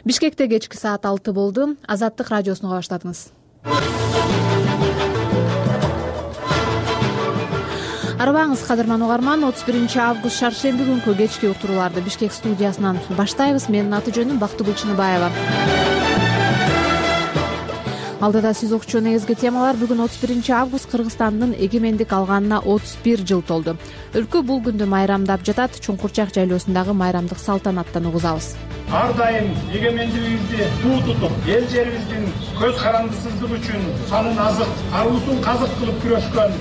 Бишкекте кечки саат 6 болду. Азаттык радиосуну баштадыңыз. Арыбаңыз кадырман угарман, 31 август шаршемби күнкү кечки уктурууларды Бишкек студиясынан баштайбыз. Менин аты жөнүм Бактыгүл Чыныбаева. Алдыда сиз окучу негизги темалар. Бүгүн 31 август Кыргызстандын эгемендик алганына 31 жыл толду. Өлкө бул күндү майрамдап жатат. Чуңкурчак жайлоосундагы майрамдык салтанаттан угузабыз. Ар дайым эгемендигибизди туу тутуп, эл жерибиздин көз карандысыздыгы үчүн санын азык, аруусун казык кылып күрөшкөн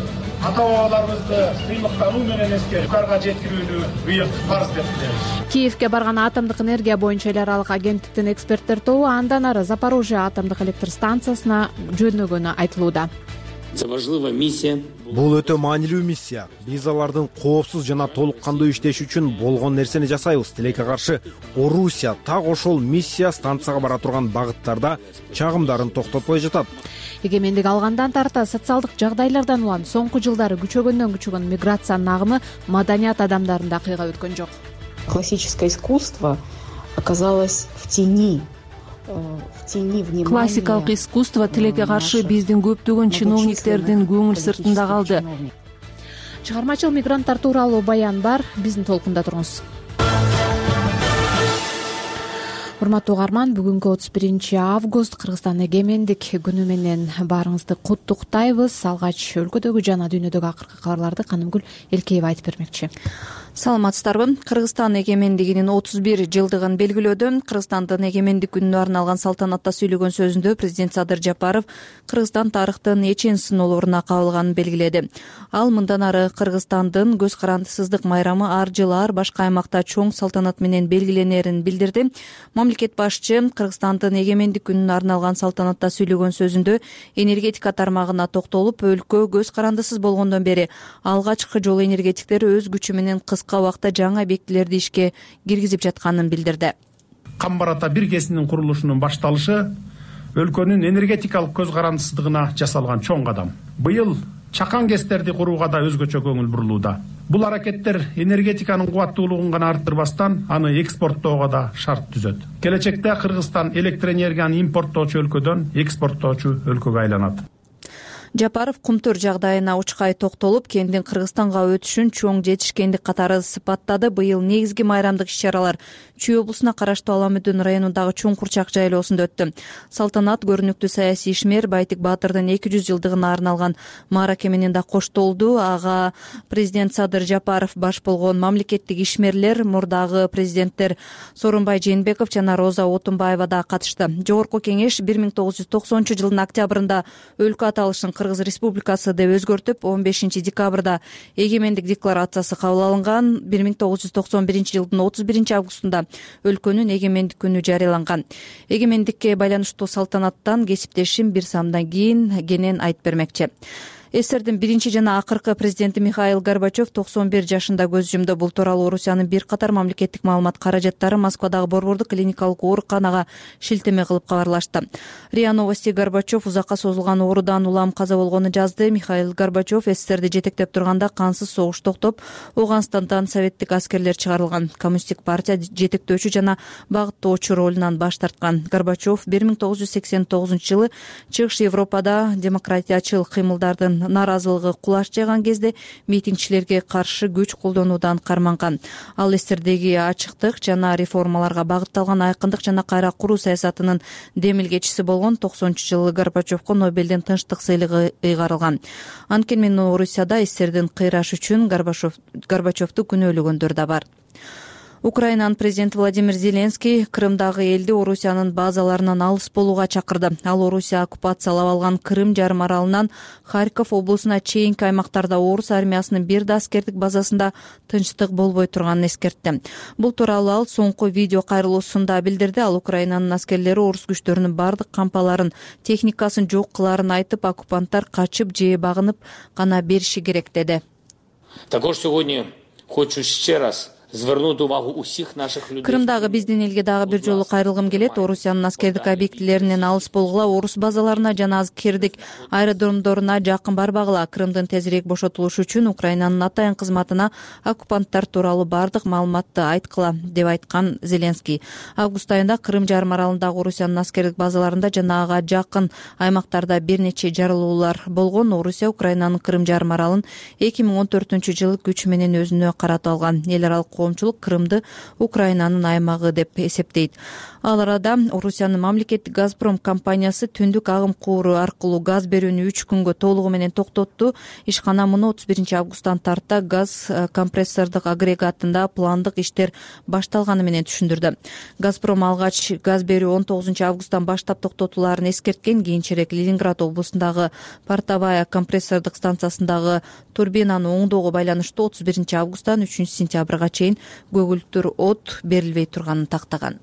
ата-бабаларыбызды сыйлыктануу менен эскерип, югарыга жеткирүүнү быйыл фарз деп билебиз. Киевге барган атомдук энергия боюнча эл аралык агенттиктин эксперттер тобу андан ары Запорожье атомдук электр станциясына жөнөгөнү айтылууда. Бул өтө маанилүү миссия. Биз алардын коопсуз жана толук кандуу иштеши үчүн болгон нерсени жасайбыз. Тилекке каршы Орусия так ошол миссия станцияга бара турган багыттарда чагымдарын токтотпой жатат. Эгемендик алгандан тарта социалдык жагдайлардан улам соңку жылдары күчөгөндөн күчөгөн миграциянын агымы маданият адамдарында кыйгап өткөн жок. Классическое искусство оказалось в тени. Классикалык искусство тилекке каршы биздин көптөгөн чиновниктердин көңүл сыртында калды. Чыгармачыл мигранттар тууралуу баян бар, биздин толкунда туруңуз. Урматтуу угарман, бүгүнкү 31 август Кыргызстан эгемендик күнү менен баарыңызды куттуктайбыз. Алгач өлкөдөгү жана дүйнөдөгү акыркы кабарларды Канымгүл Элкеева айтып бермекчи. Саламатсыздарбы? Кыргызстан эгемендигинин 31 жылдыгын белгилөөдө Кыргызстандын эгемендик күнүнө арналган салтанатта сүйлөгөн сөзүндө президент Садыр Жапаров Кыргызстан тарыхтын эчен сыноолоруна кабылганын белгиледи. Ал мындан ары Кыргызстандын көз карандысыздык майрамы ар жылы ар башка аймакта чоң салтанат менен белгиленерин билдирди. Мамлекет башчы Кыргызстандын эгемендик күнүнө арналган салтанатта сүйлөгөн сөзүндө энергетика тармагына токтолуп, өлкө көз карандысыз болгондон бери алгачкы жолу энергетиктер өз күчү менен кыска убакытта жаңы объектилерди ишке киргизип жатканын билдирди. Камбар ата биргесинин курулушунун башталышы өлкөнүн энергетикалык көз карандысыздыгына жасалган чоң кадам. Быйыл чакан кестерди курууга да өзгөчө көңүл бурулууда. Бул аракеттер энергетиканын кубаттуулугун гана арттырбастан, аны экспорттоого да шарт түзөт. Келечекте Кыргызстан электроэнергияны импорттоочу өлкөдөн экспорттоочу өлкөгө айланат. Жапаров кумтөр жагдайына учкай токтолуп, кендин Кыргызстанга өтүшүн чоң жетишкендик катары сыпаттады. Быйыл негизги майрамдык иш-чаралар Чүй облусуна караштуу Аламүдүн районундагы Чуңкурчак жайлоосунда өттү. Салтанат көрүнүктүү саясий ишмер Байтик Баатырдын 200 жылдыгына арналган маараке менен да коштолду. Ага президент Садыр Жапаров баш болгон мамлекеттик ишмерлер, мурдагы президенттер Сооронбай Жээнбеков жана Роза Отунбаева да катышты. Жогорку кеңеш 1990 жылдын октябрында өлкө аталышын Кыргыз Республикасы деп өзгөртүп, 15 декабрда эгемендик декларациясы кабыл алынган. 1991 жылдын 31 августунда өлкөнүн эгемендик күнү жарыяланган. Эгемендикке байланыштуу салтанаттан кесиптешим бир самдан кенен айтып бермекчи. СССРдин биринчи жана акыркы президенти Михаил Горбачев 91 жашында көз жумду. Бул тууралуу Орусиянын бир катар мамлекеттик маалымат каражаттары Москвадагы Борбордук клиникалык ооруканага шилтеме кылып кабарлашты. РИА Новости Горбачев узакка созулган оорудан улам каза болгонун жазды. Михаил Горбачев СССРди жетектеп турганда кансыз согуш токтоп, Ауганстандан советтик аскерлер чыгарылган. Коммунисттик партия жетектөөчү жана багыттоочу ролунан баш тарткан. Горбачев 1989 жылы Чыгыш Европада демократиячыл кыймылдардын наразылыгы кулаш жайган кезде митингчилерге каршы күч колдонуудан карманган. Ал СССРдеги ачыктык жана реформаларга багытталган айкындык жана кайра куруу саясатынын демилгечиси болгон. 90-жылы Горбачевко Нобелдин тынчтык сыйлыгы ыйгарылган. Анткени Орусияда СССРдин кыйрашы үчүн Горбачевду күнөөлөгөндөр да бар. Украинанын президенти Владимир Зеленский Крымдагы элди Орусиянын базаларынан алыс болууга чакырды. Ал Орусия оккупациялап алган Крым жарым аралынан Харьков облусуна чейинки аймактарда орус армиясынын бир да аскердик базасында тынчтык болбой турганын эскертти. Бул тууралуу ал соңку видео кайрылуусунда билдирди. Ал Украинанын аскерлери орус күчтөрүнүн бардык кампаларын, техникасын жок кылаарын айтып, оккупанттар качып же багынып гана бериши керек деди. Також сьогодні хочу ще раз Крымдагы биздин элге дагы бир жолу кайрылгым келет. Орусиянын аскердик объектилеринен алыс болгула, орус базаларына жана аскердик аэродромдоруна жакын барбагыла. Крымдын тезирээк бошотулушу үчүн Украинанын атайын кызматына оккупанттар тууралуу бардык маалыматты айткыла, деп айткан Зеленский. Август айында Крым жарым аралындагы Орусиянын аскердик базаларында жана ага жакын аймактарда бир нече жарылуулар болгон. Орусия Украинанын Крым жарым аралын 2014-жылы күч менен өзүнө каратып алган. Эл аралык коомчулук Крымды Украинанын аймагы деп эсептейт. Ал арада Орусиянын мамлекеттик Газпром компаниясы түндүк агым кууру аркылуу газ берүүнү 3 күнгө толугу менен токтотту. Ишкана муну 31-августтан тарта газ компрессордук агрегатында пландык иштер башталганы менен түшүндүрдү. Газпром алгач газ берүү 19-августтан баштап токтотуларын эскерткен. Кийинчерээк Ленинград облусундагы Портовая компрессордук станциясындагы турбинаны оңдоого байланыштуу 31-августтан 3-сентябрга чейин көгүлтүр от берилбей турганын тактаган.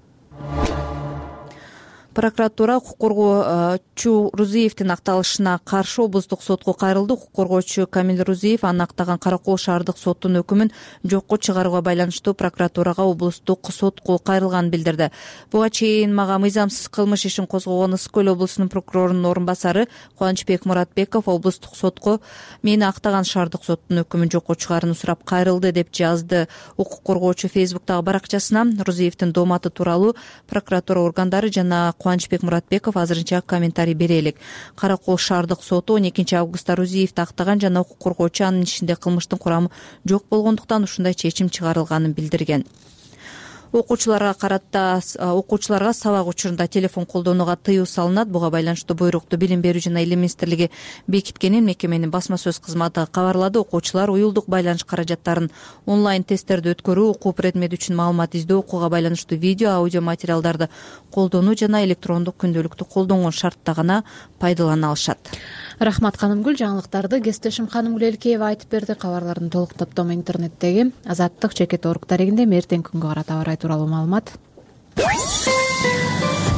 Прокуратура укук коргоочу Рузиевдин акталышына каршы облустук сотко кайрылды. Укук коргоочу Камил Рузиев анын актаган Каракол шаардык соттун өкүмүн жокко чыгарууга байланыштуу прокуратурага облустук сотко кайрылганын билдирди. Буга чейин мага мыйзамсыз кылмыш ишин козгогон Ысык көл облусунун прокурорунун орун басары Кубанычбек Муратбеков облустук сотко мени актаган шаардык соттун өкүмүн жокко чыгарууну сурап кайрылды, деп жазды укук коргоочу Фейсбуктагы баракчасына. Рузиевдин дооматы тууралуу прокуратура органдары жана Кубанычбек Муратбеков азырынча комментарий бере элек. Каракол шаардык соту 12-августта Рузиевди актаган жана укук коргоочу анын ишинде кылмыштын курамы жок болгондуктан ушундай чечим чыгарылганын билдирген. Окуучуларга сабак учурунда телефон колдонууга тыюу салынат. Буга байланыштуу буйрукту Билим берүү жана Илим министрлиги бекиткенин мекеменин басма сөз кызматы кабарлады. Окуучулар уюлдук байланыш каражаттарын, онлайн тесттерди өткөрүү, окуу предмети үчүн маалымат издөө, окууга байланыштуу видео, аудио материалдарды колдонуу жана электрондук күндөлүктү колдонгон шартта гана пайдалана алышат. Рахмат Канымгүл. Жаңылыктарды кесиптешим Канымгүл Элкеева айтып берди. Кабарлардын толук топтому интернеттеги Азаттык чекит орг дарегинде эртең күнгө карата аба ырайы тууралуу маалымат.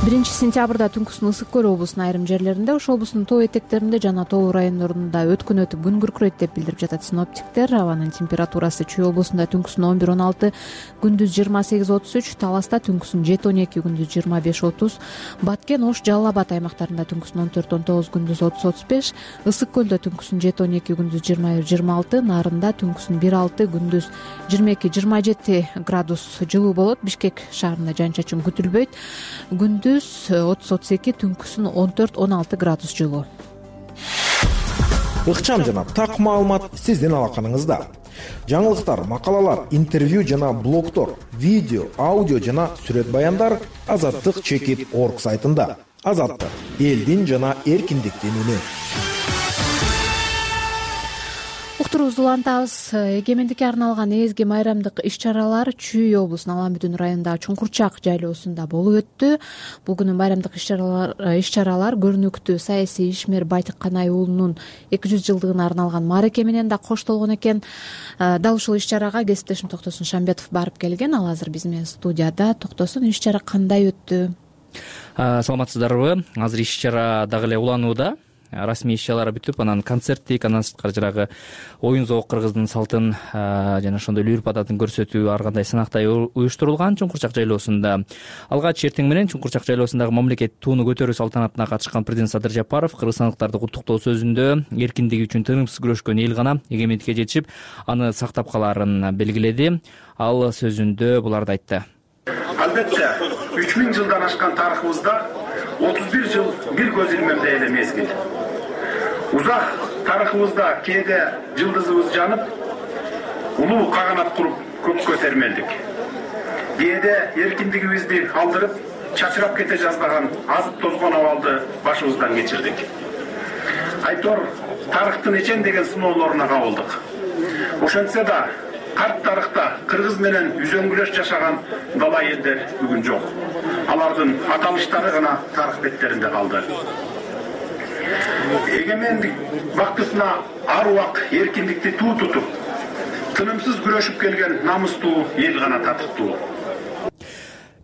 1-сентябрда түнкүсүн Ысык көл облусунун айрым жерлеринде, Ош облусунун тоо этектеринде жана тоо райондорунда өткөн өтүп күн күркүрөйт деп билдирип жатат синоптиктер. Абанын температурасы Чүй облусунда түнкүсүн 11-16, күндүз 28-33, Таласта түнкүсүн 7-12, күндүз 25-30, Баткен, Ош, Жалал Абад аймактарында түнкүсүн 14-19, күндүз 30-35, Ысык көлдө түнкүсүн 7-12, күндүз 21-26, Нарында түнкүсүн 1-6, күндүз 22-27 градус жылуу болот. Бишкек шаарында жан-чачын күтүлбөйт. Күндүз 30-32, түнкүсүн 14-16 градус жылуу. Ыкчам жана так маалымат сиздин алаканыңызда. Жаңылыктар, макалалар, интервью жана блогтор, видео, аудио жана сүрөт баяндар Азаттык чекит орг сайтында. Азаттык — элдин жана эркиндиктин үнү. Уктуруубузду улантабыз. Эгемендикке арналган эзги майрамдык иш-чаралар Чүй облусунун Алан-Бүтүн районундагы Чуңкурчак жайлоосунда болуп өттү. Бул күнү майрамдык иш-чаралар көрүнүктүү саясий ишмер Байтык Канай уулунун 200 жылдыгына арналган маареке менен да коштолгон экен. Дал ушул иш-чарага кесиптешим Токтосун Шамбетов барып келген. Ал азыр биз менен студияда. Токтосун, иш-чара кандай өттү? Саламатсыздарбы? Азыр иш-чара дагы эле уланууда. Расмий иш-чаралар бүтүп, анан концерттик, андан сырткары жанагы оюн зоок кыргыздын салтын жана ошондой үрп адатын көрсөтүү ар кандай сынактай уюштурулган Чуңкурчак жайлоосунда. Алгач эртең менен Чуңкурчак жайлоосундагы мамлекеттик тууну көтөрүү салтанатына катышкан президент Садыр Жапаров кыргызстандыктарды куттуктоо сөзүндө эркиндиги үчүн тынымсыз күрөшкөн эл гана эгемендикке жетишип, аны сактап калаарын белгиледи. Ал сөзүндө буларды айтты. Албетте, 3000 жылдан ашкан тарыхыбызда 31 жыл бир көз илмемде эле мезгил. Узак тарыхыбызда кээде жылдызыбыз жанып, улуу каганат куруп көккө термелдик. Кээде эркиндигибизди алдырып, чачырап кете жаздаган азып тозгон абалды башыбыздан кечирдик. Айтор тарыхтын эчен деген сыноолоруна кабылдык. Ошентсе да карт тарыхта кыргыз менен үзөңгүлөш жашаган дала элдер бүгүн жок. Алардын аталыштары гана тарых беттеринде калды. Эгемендик бактысына ар убак эркиндикти туу тутуп, тынымсыз күрөшүп келген намыстуу эл гана татыктуу.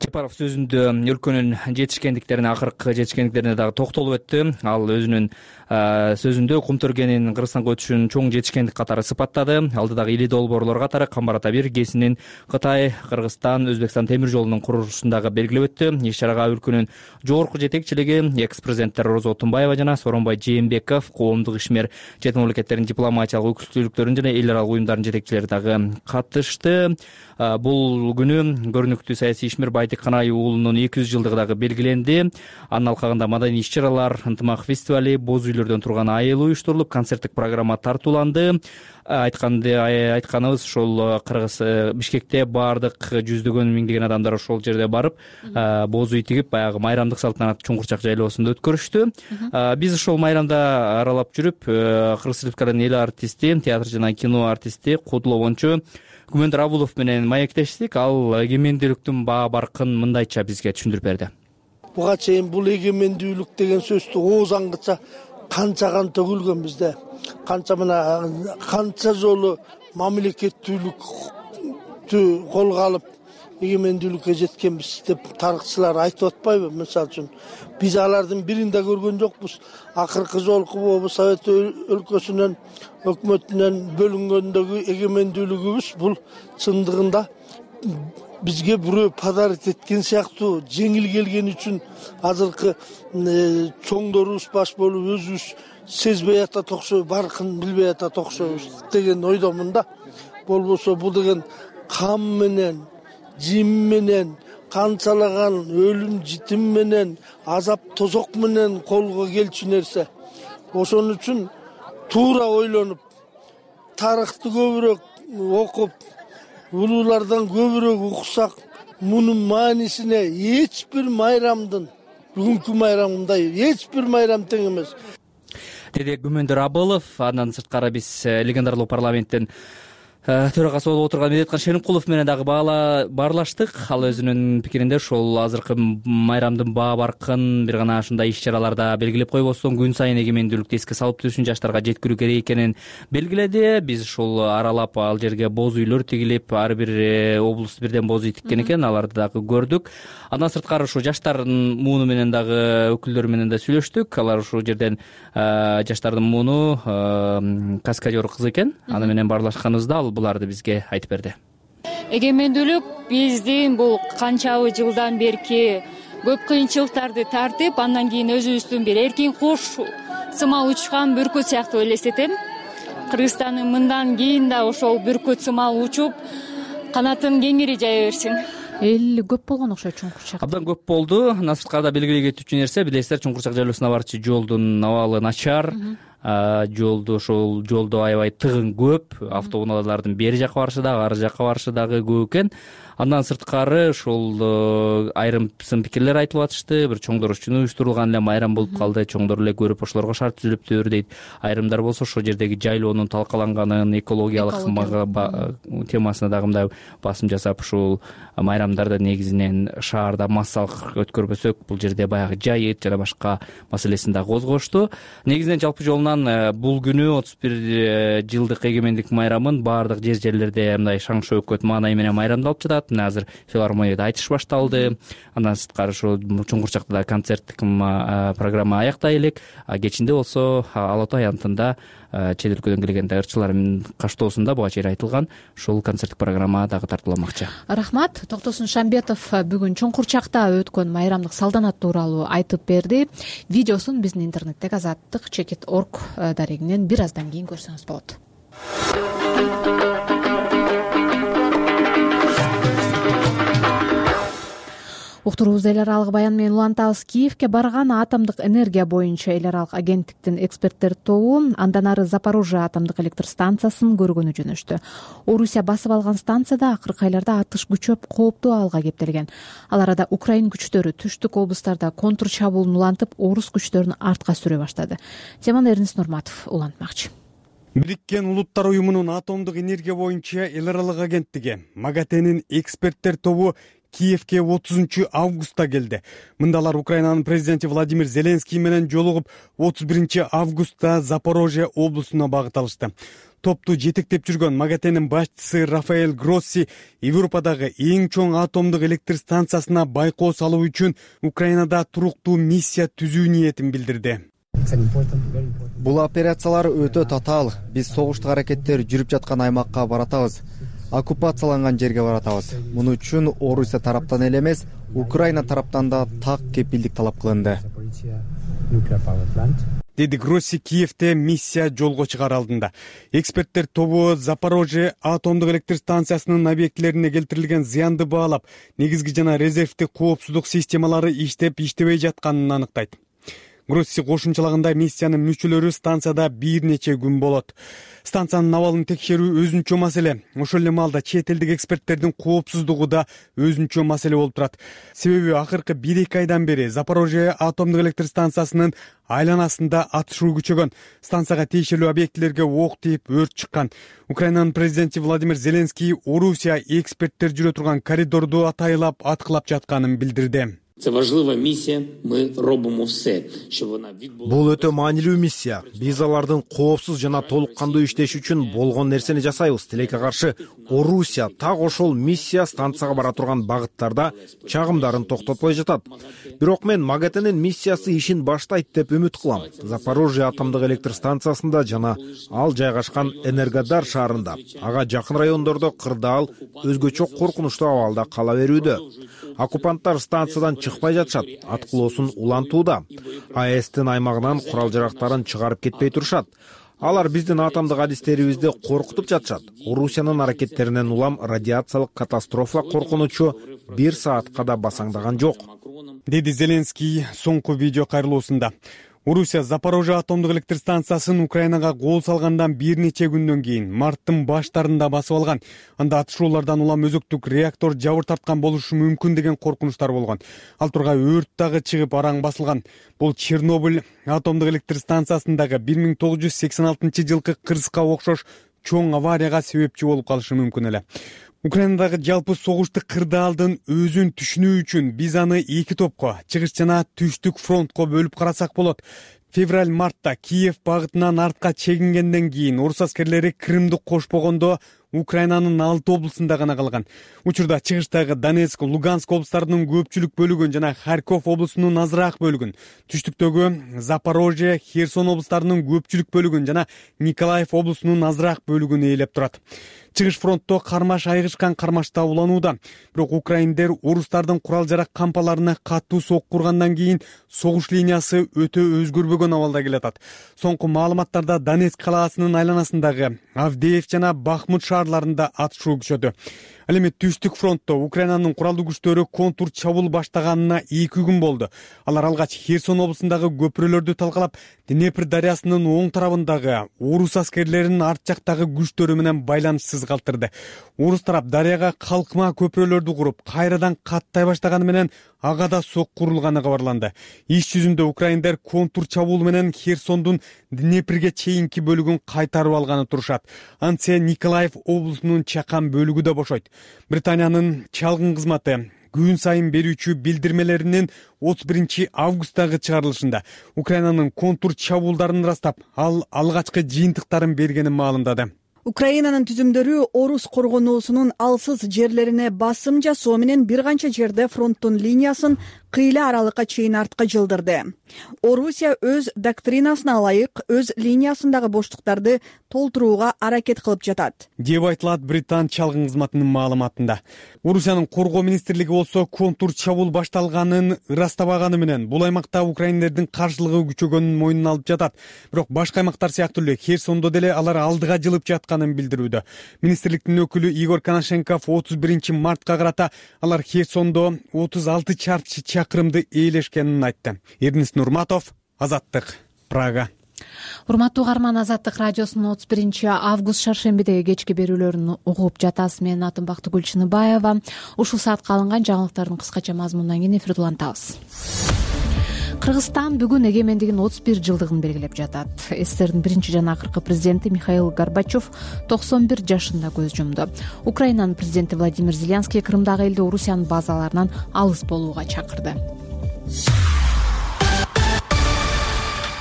Жапаров сөзүндө өлкөнүн жетишкендиктерине, акыркы жетишкендиктерине дагы токтолуп өттү. Ал өзүнүн сөзүндө Кумтөргенин Кыргызстанга өтүшүн чоң жетишкендик катары сыпаттады. Алдыдагы ири долбоорлор катары Камбар ата 1 ГЭСинин Кытай, Кыргызстан, Өзбекстан темир жолунун курулушундагы белгилеп өттү. Иш-чарага өлкөнүн жогорку жетекчилиги, экс-президенттер Роза Отунбаева жана Сооронбай Жээнбеков, коомдук ишмер, чет мамлекеттердин дипломатиялык өкүлчүлүктөрүнүн жана эл аралык уюмдардын жетекчилери дагы катышты. Бул күнү көрүнүктүү саясий ишмер Байтек Канай уулунун 200 жылдыгы дагы белгиленди. Анын алкагында маданий иш-чаралар, ынтымак фестивали, боз үйлөрдөн турган айыл уюштурулуп, концерттик программа тартууланды. Айтканыбыз ошол Кыргыз Бишкекте баардык жүздөгөн миңдеген адамдар ошол жерде барып, боз үй тигип, баягы майрамдык салтанат Чуңкурчак жайлоосунда өткөрүштү. Биз ошол майрамда аралап жүрүп, Кыргыз Республиканын эл артисти, театр жана кино артисти Кудуловончу Күмөндөр Абулов менен маектештик. Ал эгемендүүлүктүн баа баркын мындайча бизге түшүндүрүп берди. Буга чейин бул эгемендүүлүк деген сөздү ооз аңгыча канча төгүлгөн бизде. Канча жолу мамлекеттүүлүктү колго алып эгемендүүлүккө жеткенбиз деп тарыхчылар айтып атпайбы? Мисалы үчүн биз алардын бирин да көргөн жокпуз. Акыркы жолку Совет өлкөсүнөн, өкмөтүнөн бөлүнгөндөгү эгемендүүлүгүбүз бул чындыгында бизге бирөө подарок эткен сыяктуу жеңил келген үчүн азыркы чоңдорубуз баш болуп өзүбүз сезбей атат окшойбуз, баркын билбей атат окшойбуз деген ойдомун да. Болбосо бул деген кам менен, жим менен, канчалаган өлүм житим менен, азап тозок менен колго келчү нерсе. Ошон үчүн туура ойлонуп, тарыхты көбүрөөк окуп, улуулардан көбүрөөк уксак, мунун маанисине эч бир майрамдын, бүгүнкү майрамындай эч бир майрам тең эмес деди Күмөндөр Абылов. Андан сырткары биз легендарлуу парламенттин төрагасы болуп отурган Медеткан Шеримкулов менен дагы баарлаштык. Ал өзүнүн пикиринде ошол азыркы майрамдын баа баркын бир гана ушундай иш-чараларда белгилеп койбостон күн сайын эгемендүүлүктү эске салып түшүн жаштарга жеткирүү керек экенин белгиледи. Биз ушул аралап ал жерге боз үйлөр тигилип, ар бир облус бирден боз үй тиккен экен, аларды дагы көрдүк. Андан сырткары ушу жаштардын мууну менен дагы өкүлдөрү менен да сүйлөштүк. Алар ушул жерден жаштардын мууну каскадер кыз экен. Аны менен баарлашканыбызда ал буларды бизге айтып берди. Эгемендүүлүк биздин бул канчабы жылдан берки көп кыйынчылыктарды тартып, андан кийин өзүбүздүн бир эркин куш сымал учкан бүркүт сыяктуу элестетем. Кыргызстандын мындан кийин да ошол бүркүт сымал учуп, канатын кеңири жая берсин. Эл көп болгон окшойт Чуңкурчак. Абдан көп болду. Насырткарда белгилей кетүүчү нерсе, билесиздер, Чуңкурчак жайлоосуна барчу жолдун абалы начар. Ошол жолдо аябай тыгын көп, автоунаалардын бери жака барышы дагы, ары жака барышы дагы көп экен. Андан сырткары ошол айрым сын пикирлер айтылып атышты. Бир чоңдор үчүн уюштурулган эле майрам болуп калды, чоңдор эле көрүп ошолорго шарт түзүлүптүр дейт. Айрымдар болсо ошол жердеги жайлоонун талкаланганын, экологиялык темасына дагы мындай басым жасап, ушул майрамдарда негизинен шаарда массалык өткөрбөсөк, бул жерде баягы жайыт жана башка маселесин дагы козгошту. Негизинен жалпы жолунан бул күнү 31 жылдык эгемендик майрамын баардык жерлерде мындай шаң шөөкөт маанай менен майрамдалып жатат. Азыр филармонияда айтыш башталды. Андан сырткары ошо Чуңкурчакта да концерттик программа аяктай элек. Кечинде болсо Ала Тоо аянтында чет өлкөдөн келген ырчылардын каштоосунда буга чейин айтылган ушул концерттик программа дагы тартууламакчы. Рахмат. Токтосун Шамбетов бүгүн Чуңкурчакта өткөн майрамдык салтанат тууралуу айтып берди. Видеосун биздин интернеттеги azаттык.org дарегинен бир аздан кийин көрсөңүз болот. Уктуруубузду эл аралык баян менен улантабыз. Киевке барган атомдук энергия боюнча эл аралык агенттиктин эксперттер тобу андан ары Запорожье атомдук электр станциясын көргөнү жөнөштү. Орусия басып алган станцияда акыркы айларда атыш күчөп, кооптуу абалга кептелген. Ал арада Украин күчтөрү түштүк облустарда контр чабуулун улантып, орус күчтөрүн артка сүрө баштады. Теманы Эрнест Нурматов улантмакчы. Бириккен Улуттар уюмунун атомдук энергия боюнча эл аралык агенттиги МАГАТЭнин эксперттер тобу Киевке 30 августта келди. Мында алар Украинанын президенти Владимир Зеленский менен жолугуп, 31 августта Запорожье облусуна багыт алышты. топту жетектеп жүргөн МАГАТЭнин башчысы Рафаэль Гросси Европадагы эң чоң атомдук электр станциясына байкоо салуу үчүн Украинада туруктуу миссия түзүү ниетин билдирди. Бул операциялар өтө татаал. Биз согуштук аракеттер жүрүп жаткан аймакка баратабыз. Оккупацияланган жерге баратабыз. Муну үчүн Орусия тараптан эле эмес, Украина тараптан да так кепилдик талап кылынды, деди Гросси Киевте миссия жолго чыгаар алдында. Эксперттер тобу Запорожье атомдук электр станциясынын объектилерине келтирилген зыянды баалап, негизги жана резервдик коопсуздук системалары иштеп-иштебей жатканын аныктайт. Гросси кошумчалагандай миссиянын мүчөлөрү станцияда бир нече күн болот. Станциянын абалын текшерүү өзүнчө маселе. Ошол эле маалда чет элдик эксперттердин коопсуздугу да өзүнчө маселе болуп турат. Себеби акыркы 1-2 айдан бери Запорожье атомдук электр станциясынын айланасында атышуу күчөгөн. Станцияга тиешелүү объектилерге ок тийип өрт чыккан. Украинанын президенти Владимир Зеленский Орусия эксперттер жүрө турган коридорду атайлап аткылап жатканын билдирди. Це важлива миссия, мы робимо все, щоб вона відбулася. Бул өтө маанилүү миссия. Биз алардын коопсуз жана толук кандуу иштеши үчүн болгон нерсени жасайбыз. Тилекке каршы Орусия так ошол миссия станцияга бара турган багыттарда чагымдарын токтотпой жатат. Бирок мен МАГАТЭнин миссиясы ишин баштайт деп үмүт кылам. Запорожье атомдук электр станциясында жана ал жайгашкан Энергодар шаарында, ага жакын райондордо кырдаал өзгөчө коркунучтуу абалда кала берүүдө. Оккупанттар станциядан чыкпай жатышат, аткылоосун улантууда. АЭСтин аймагынан курал-жарактарын чыгарып кетпей турушат. Алар биздин атомдук адистерибизди коркутуп жатышат. Орусиянын аракеттеринен улам радиациялык катастрофа коркунучу 1 саатка да басаңдаган жок, деди Зеленский соңку видео кайрылуусунда. Орусия Запорожье атомдук электр станциясын Украинага кол салгандан бир нече күндөн кийин марттын баштарында басып алган. Анда атышуулардан улам өзөктүк реактор жабыр тарткан болушу мүмкүн деген коркунучтар болгон. Ал тургай өрт дагы чыгып араң басылган. Бул Чернобыль атомдук электр станциясындагы 1986-жылкы кырсыска окшош чоң аварияга себепчи болуп калышы мүмкүн эле. Украинадагы жалпы согушту кырдаалдын өзүн түшүнүү үчүн биз аны 2 топко, чыгыш жана түштүк фронтко бөлүп карасак болот. Февраль-мартта Киев багытынан артка чегингенден кийин орус аскерлери Крымды кошпогондо Украинанын 6 облусунда гана калган. Учурда чыгыштагы Донецк, Луганск облустарынын көпчүлүк бөлүгүн жана Харьков облусунун азыраак бөлүгүн, түштүктөгү Запорожье, Херсон облустарынын көпчүлүк бөлүгүн жана Николаев облусунун азыраак бөлүгүн ээлеп турат. Чыгыш фронтто кармаш айгышкан кармашта уланууда. Бирок украиндер орустардын курал-жарак кампаларына катуу сокку ургандан кийин согуш линиясы өтө өзгөрбөгөн абалда келатат. Соңку маалыматтарда Донецк калаасынын айланасындагы Авдеев жана Бахмут шаарларында атышуу күчөдү. Ал эми түштүк фронтто Украинанын куралдуу күчтөрү контур чабуул баштаганына 2 күн болду. Алар алгач Херсон облусундагы көпүрөлөрдү талкалап, Днепр дарыясынын оң тарабындагы орус аскерлеринин арт жактагы күчтөрү менен байланышсыз калтырды. Орус тарап дарыяга калкма көпүрөлөрдү куруп, кайрадан каттай баштаганы менен ага да сокку урулганы кабарланды. Иш жүзүндө украиндер контур чабуул менен Херсондун Днепрге чейинки бөлүгүн кайтарып алганы турушат. Антсе Николаев облусунун чакан бөлүгү да бошойт. Британиянын чалгын кызматы күн сайын берүүчү билдирмелеринин 31 августтагы чыгарылышында Украинанын контур чабуулдарын ырастап, ал алгачкы жыйынтыктарын бергенин маалымдады. Украинанын түзүмдөрү орус коргонуусунун алсыз жерлерине басым жасоо менен бир канча жерде фронттун линиясын кыйла аралыкка чейин артка жылдырды. Орусия өз доктринасына ылайык өз линиясындагы боштуктарды толтурууга аракет кылып жатат, деп айтылат Британ чалгын кызматынын маалыматында. Орусиянын коргоо министрлиги болсо контур чабуул башталганын ырастабаганы менен бул аймакта украиндердин каршылыгы күчөгөнүн мойнуна алып жатат. Бирок башка аймактар сыяктуу эле Херсондо деле алар алдыга жылып жатканын билдирүүдө. Министрликтин өкүлү Игорь Коношенков 31 мартка карата алар Херсондо 36 чарчы чакырымды ээлешкенин айтты. Эрнис Нурматов, Азаттык, Прага. Урматтуу угарман, Азаттык радиосунун 31 август шаршембидеги кечки берүүлөрүн угуп жатасыз. Менин атым Бактыгүл Чыныбаева. Ушул саатка алынган жаңылыктардын кыскача мазмунунан кийин эфирди улантабыз. Кыргызстан бүгүн эгемендигинин 31 жылдыгын белгилеп жатат. СССРдин биринчи жана акыркы президенти Михаил Горбачев 91 жашында көз жумду. Украинанын президенти Владимир Зеленский Крымдагы элди Орусиянын базаларынан алыс болууга чакырды.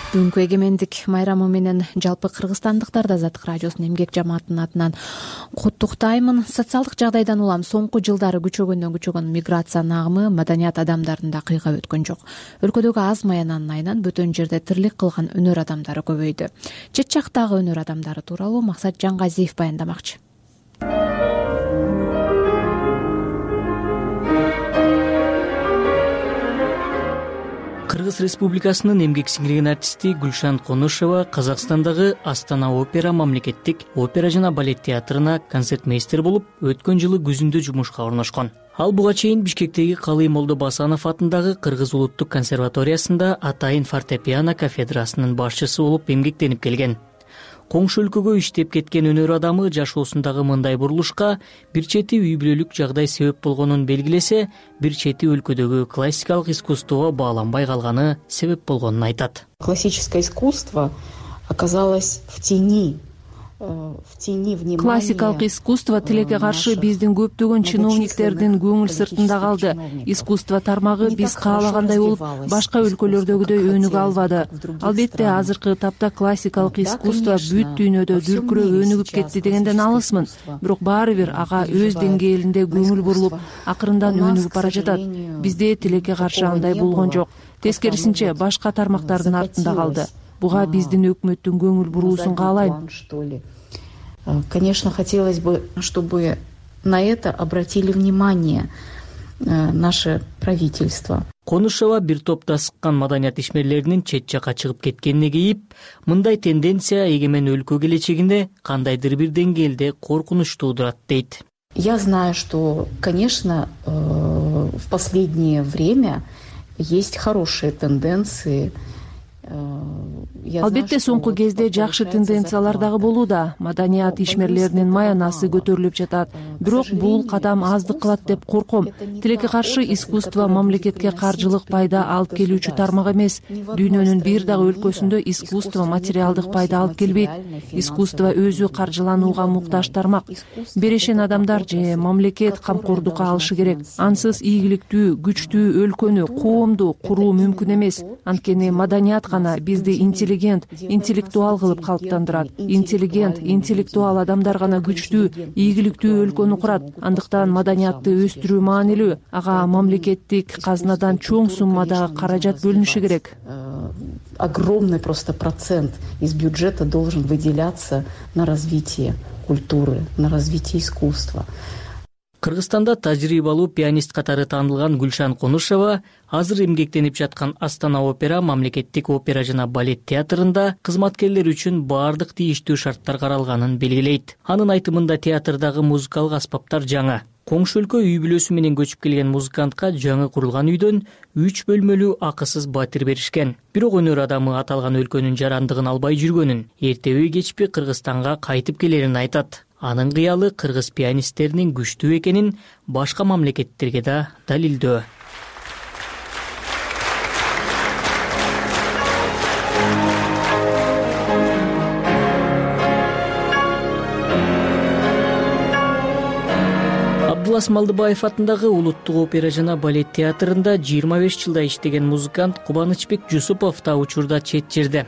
Бүгүнкү эгемендик майрамы менен жалпы кыргызстандыктарды Азаттык радиосунун эмгек жамаатынын атынан куттуктаймын. Социалдык жагдайдан улам соңку жылдары күчөгөн миграциянын агымы маданият адамдарында кыйгап өткөн жок. Өлкөдөгү аз маянанын айынан бөтөн жерде тирлик кылган өнөр адамдары көбөйдү. Чет жактагы өнөр адамдары тууралуу Максат Жаңгазиев баяндамакчы. Кыргыз Республикасынын эмгек сиңирген артисти Гүлшан Конушева Казакстандагы Астана опера мамлекеттик опера жана балет театрына концертмейстер болуп, өткөн жылы күзүндө жумушка орношкон. Ал буга чейин Бишкектеги Калый Молдо Басанов атындагы Кыргыз улуттук консерваториясында атайын фортепиано кафедрасынын башчысы болуп эмгектенип келген. Коңшу өлкөгө иштеп кеткен өнөр адамы жашоосундагы мындай бурулушка бир чети үй бүлөлүк жагдай себеп болгонун белгилесе, бир чети өлкөдөгү классикалык искусствого бааланбай калганы себеп болгонун айтат. Классическое искусство оказалось в тени внимания. Классикалык искусство тилекке каршы биздин көптөгөн чиновниктердин көңүл сыртында калды. Искусство тармагы биз каалагандай болуп, башка өлкөлөрдөгүдөй өнүгө албады. Албетте азыркы тапта классикалык искусство бүт дүйнөдө дүркүрөп өнүгүп кетти дегенден алысмын. Бирок баары бир ага өз деңгээлинде көңүл бурулуп, акырындан өнүгүп бара жатат. Бизде тилекке каршы андай болгон жок. Тескерисинче башка тармактардын артында калды. Буга биздин өкмөттүн көңүл буруусун каалайм. Конечно, хотелось бы, чтобы на это обратили внимание наше правительство. Конушева бир топто сыккан маданият ишмерлеринин чет жакка чыгып кеткенине кейип, мындай тенденция эгемен өлкө келечегинде кандайдыр бир деңгээлде коркунуч туудурат дейт. Я знаю, что, конечно, в последнее время есть хорошие тенденции. Албетте соңку кезде жакшы тенденциялар дагы болууда. Маданият ишмерлеринин маянасы көтөрүлүп жатат. Бирок бул кадам аздык кылат деп корком. Тилекке каршы искусство мамлекетке каржылык пайда алып келүүчү тармак эмес. Дүйнөнүн бир дагы өлкөсүндө искусство материалдык пайда алып келбейт. Искусство өзү каржыланууга муктаж тармак. Берешен адамдар же мамлекет камкордукка алышы керек. Ансыз ийгиликтүү, күчтүү өлкөнү, коомду куруу мүмкүн эмес. Анткени маданият бизди интеллигент, интеллектуал кылып калыптандырат. Интеллигент, интеллектуал адамдар гана күчтүү, ийгиликтүү өлкөнү курат. Андыктан маданиятты өстүрүү маанилүү. Ага мамлекеттик казнадан чоң суммадагы каражат бөлүнүшү керек. Огромный просто процент из бюджета должен выделяться на развитие культуры, на развитие искусства. Кыргызстанда тажрыйбалуу пианист катары таанылган Гүлшан Конушева азыр эмгектенип жаткан Астана опера мамлекеттик опера жана балет театрында кызматкерлер үчүн баардык тийиштүү шарттар каралганын белгилейт. Анын айтымында театрдагы музыкалык аспаптар жаңа. Коңшу өлкө үй бүлөсү менен көчүп келген музыкантка жаңы курулган үйдөн 3 бөлмөлүү акысыз батир беришкен. Бирок өнөр адамы аталган өлкөнүн жарандыгын албай жүргөнүн, эртеби кечпи Кыргызстанга кайтып келерин айтат. Анын кыялы кыргыз пианисттеринин күчтүү экенин башка мамлекеттерге да далилдөө. Абдулас Малдыбаев атындагы улуттук опера жана балет театрында 25 жылда иштеген музыкант Кубанычбек Жусупов да учурда чет жерде.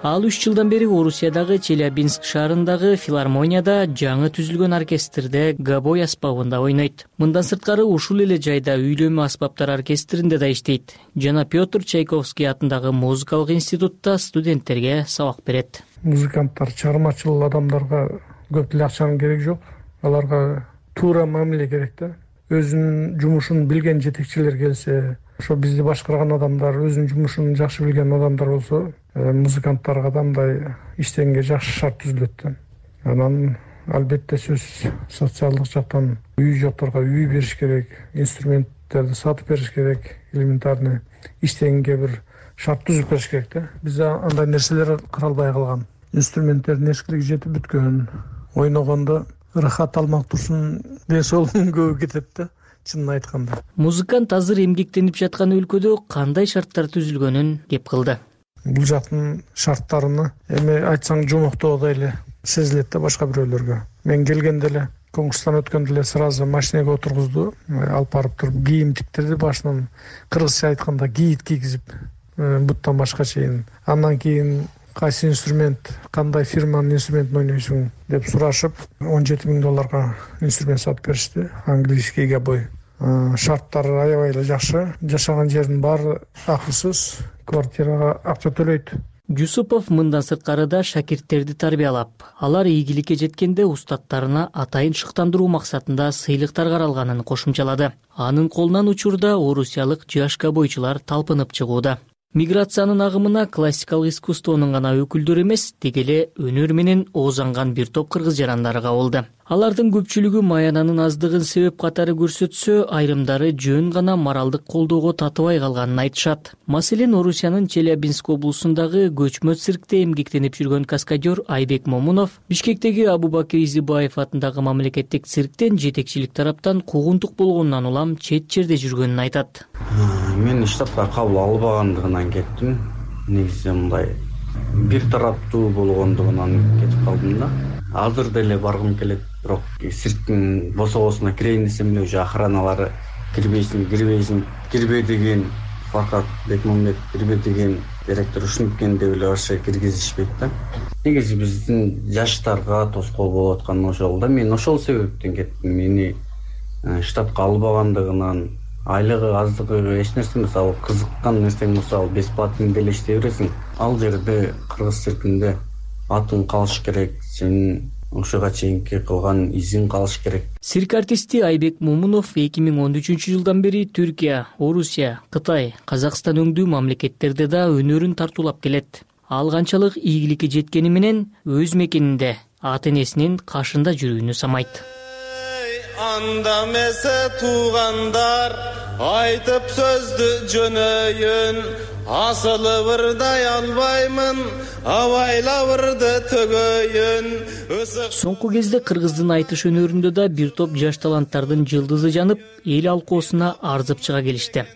Ал 3 жылдан бери Орусиядагы Челябинск шаарындагы филармонияда жаңы түзүлгөн оркестрде габой аспабында ойнойт. Мындан сырткары ушул эле жайда үйлөмө аспаптар оркестринде да иштейт. Жана Петр Чайковский атындагы музыкалык институтта студенттерге сабак берет. Музыканттар чыгармачыл адамдарга көп деле акчанын кереги жок. Аларга туура мамиле керек да. Өзүнүн жумушун билген жетекчилер келсе, ошо бизди башкарган адамдар, өзүнүн жумушун жакшы билген адамдар болсо, музыканттарга да мындай иштегенге жакшы шарт түзүлөт да. Анан албетте сөз социалдык жактан үй жокторго үй бериш керек, инструменттерди сатып бериш керек, элементарный иштегенге бир шарт түзүп бериш керек да. Бизде андай нерселер каралбай калган. Инструменттердин эскилиги жетип бүткөн, ойногондо ырахат алмак турсун ден соолугун көбү кетет да. Чынын айтканда. Музыкант азыр эмгектенип жаткан өлкөдө кандай шарттар түзүлгөнүн кеп кылды. Бул жактын шарттарыны эми айтсаң жомоктоо эле сезилет да башка бирөөлөргө. Мен келгенде эле конкурстан өткөндө эле сразу машинеге отургузду, алып барып туруп кийим тиктирди, башынан кыргызча айтканда кийит кийгизип, буттан башка чейин. Андан кийин кайсы инструмент, кандай фирманын инструментин ойнойсуң деп сурашып, $17,000 инструмент сатып беришти. Английский гобой. Шарттары аябай эле жакшы. Жашаган жердин баары акысыз, квартирага акча төлөйт. Жусупов мындан сырткары да шакирттерди тарбиялап, алар ийгиликке жеткенде устаттарына атайын шыктандыруу максатында сыйлыктар каралганын кошумчалады. Анын колунан учурда орусиялык жаш гобойчулар талпынып чыгууда. Миграциянын агымына классикалык искусствонун гана өкүлдөрү эмес, деги эле өнөр менен оозанган бир топ кыргыз жарандары кабылды. Алардын көпчүлүгү маянанын аздыгын себеп катары көрсөтсө, айрымдары жөн гана моралдык колдоого татыбай калганын айтышат. Маселен, Орусиянын Челябинск облусундагы көчмө циркте эмгектенип жүргөн каскадер Айбек Момунов Бишкектеги Абубакир Изибаев атындагы мамлекеттик цирктен жетекчилик тараптан куугунтук болгонунан улам чет жерде жүргөнүн айтат. Мен штатка кабыл албагандыгынан кеттим. Негизи мындай бир тараптуу болгондугунан кетип калдым да. Азыр деле баргым келет, бирок цирктин босогосуна кирейин десем эле уже охраналары кирбе деген, Фаркат Бекмамбет кирбе деген директор ушинткен деп эле башка киргизишпейт да. Негизи биздин жаштарга тоскоол болуп аткан ошол да. Мен ошол себептен кеттим. Мени штатка албагандыгынан, айлыгы аздыгы эч нерсе эмес. Ал кызыккан нерсең болсо, ал бесплатный деле иштей бересиң. Ал жерде кыргыз циркинде атың калыш керек, сенин ошого чейинки кылган изиң калыш керек. Цирк артисти Айбек Момунов 2013-жылдан бери Түркия, Орусия, Кытай, Казакстан өңдүү мамлекеттерде да өнөрүн тартуулап келет. Ал канчалык ийгиликке жеткени менен өз мекенинде ата-энесинин кашында жүрүүнү самайт. Анда месе туугандар айтып сөздү жөнөйүн, асылы бырдай албаймын, абайлабырды төгөйүн. Соңку кезде кыргыздын айтыш өнөрүндө да бир топ жаш таланттардын жылдызы жанып, эл алкоосуна арзып чыга келишти.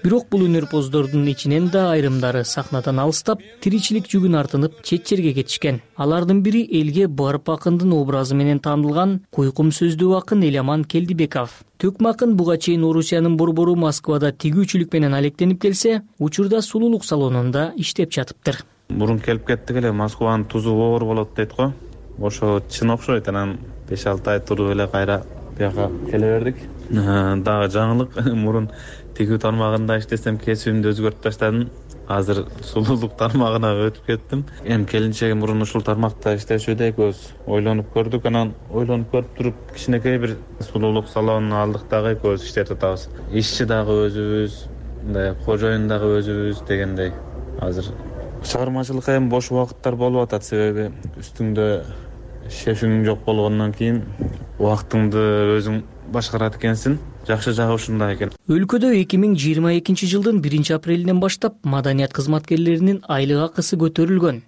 Бирок бул өнөрпоздордун ичинен да айрымдары сахнадан алыстап, тиричилик жүгүн артынып чет жерге кетишкен. Алардын бири элге барып акындын образы менен таанылган Куйкум сөздүү акын Эламан Келдибеков. Төкмө акын буга чейин Орусиянын борбору Москвада тигүүчүлүк менен алектенип келсе, учурда сулуулук салонунда иштеп жатыптыр. Мурун келип кеттик эле, Москванын тузу оор болот дейт го. Ошо чын окшойт. Анан 5-6 ай туруп эле кайра бияка келе бердик. Дагы жаңылык. Мурун тигүү тармагында иштесем, кесибимди өзгөртүп таштадым. Азыр сулуулук тармагына өтүп кеттим. Эми келинчеги мурун ушул тармакта иштешүүдө экөөбүз ойлонуп көрдүк. Анан ойлонуп көрүп туруп кичинекей бир сулуулук салонун алдык дагы экөөбүз иштетип атабыз. Ишчи дагы өзүбүз, мындай кожоюн дагы өзүбүз дегендей. Азыр чыгармачылыкка эми бош убакыттар болуп атат, себеби үстүңдө шефиң жок болгондон кийин убактыңды өзүң башкарат экенсиң. Жакшы жагы ушундай экен. Өлкөдө 2022-жылдын 1-апрелинен баштап маданият кызматкерлеринин айлык акысы көтөрүлгөн.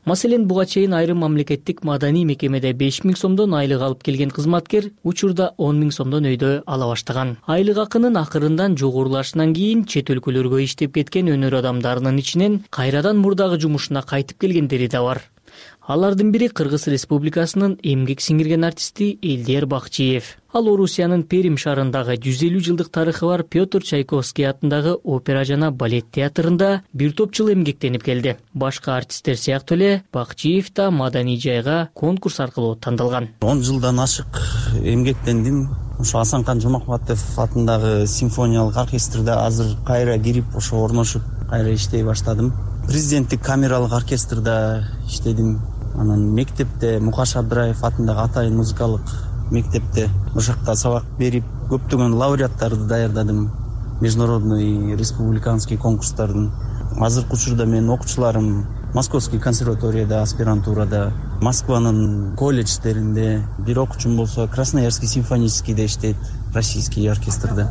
Маселен, буга чейин айрым мамлекеттик маданий мекемеде 5.000 сомдон айлык алып келген кызматкер учурда 10.000 сомдон өйдө ала баштаган. Айлык акынын акырындан жогорулашынан кийин чет өлкөлөргө иштеп кеткен өнөр адамдарынын ичинен кайрадан мурдагы жумушуна кайтып келгендери да бар. Алардын бири Кыргыз Республикасынын эмгек сиңирген артисти Элдияр Бакчиев. Ал Орусиянын Перим шаарындагы 150 жылдык тарыхы бар Петр Чайковский атындагы опера жана балет театрында бир топ жыл эмгектенип келди. Башка артисттер сыяктуу эле Бакчиев да маданий жайга конкурс аркылуу тандалган. 10 жылдан ашык эмгектендим. Ошо Асанкан Жомакбатов атындагы симфониялык оркестрде азыр кайра кирип, ошо орношуп, кайра иштей баштадым. Президенттик камералык оркестрде иштедим. Анан мектепте Мукаш Абдыраев атындагы атайын музыкалык мектепте ошакта сабак берип, көптөгөн лауреаттарды даярдадым. Международный, республиканский конкурстардын. Азыркы учурда менин окуучуларым Московский консерваторияда, аспирантурада, Москванын колледждеринде, бир окуучум болсо Красноярский симфоническийде иштейт, российский оркестрде.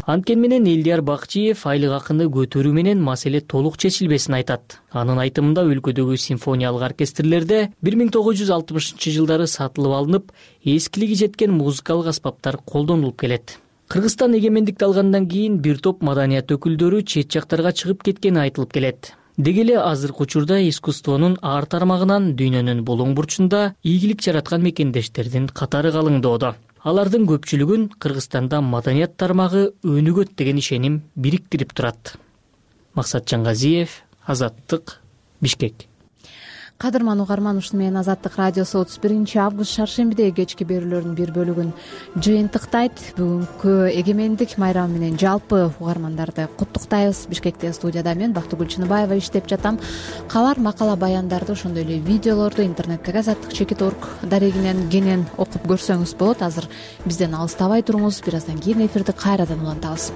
Анткени менен Элдияр Бакчиев айлык акыны көтөрүү менен маселе толук чечилбесин айтат. Анын айтымында өлкөдөгү симфониялык оркестрлерде 1960-жылдары сатылып алынып, эскилиги жеткен музыкалык аспаптар колдонулуп келет. Кыргызстан эгемендикти алгандан кийин бир топ маданият өкүлдөрү чет жактарга чыгып кеткени айтылып келет. Деги эле азыркы учурда искусствонун ар тармагынан дүйнөнүн булуң бурчунда ийгилик жараткан мекендештердин катары калыңдоодо. Алардын көпчүлүгүн Кыргызстанда маданият тармагы өнүгөт деген ишеним бириктирип турат. Максат Жангазиев, Азаттык, Бишкек. Кадырман угарман, ушуну менен Азаттык радиосу 31 август шаршембидеги кечки берүүлөрдүн бир бөлүгүн жыйынтыктайт. Бүгүнкү эгемендик майрамы менен жалпы угармандарды куттуктайбыз. Бишкекте студияда мен Бактыгүл Чыныбаева иштеп жатам. Калар макала баяндарды, ошондой эле видеолорду интернеттеги Азаттык.org дарегинен кенен окуп көрсөңүз болот. Азыр бизден алыстабай туруңуз. Бир аздан кийин эфирди кайрадан улантабыз.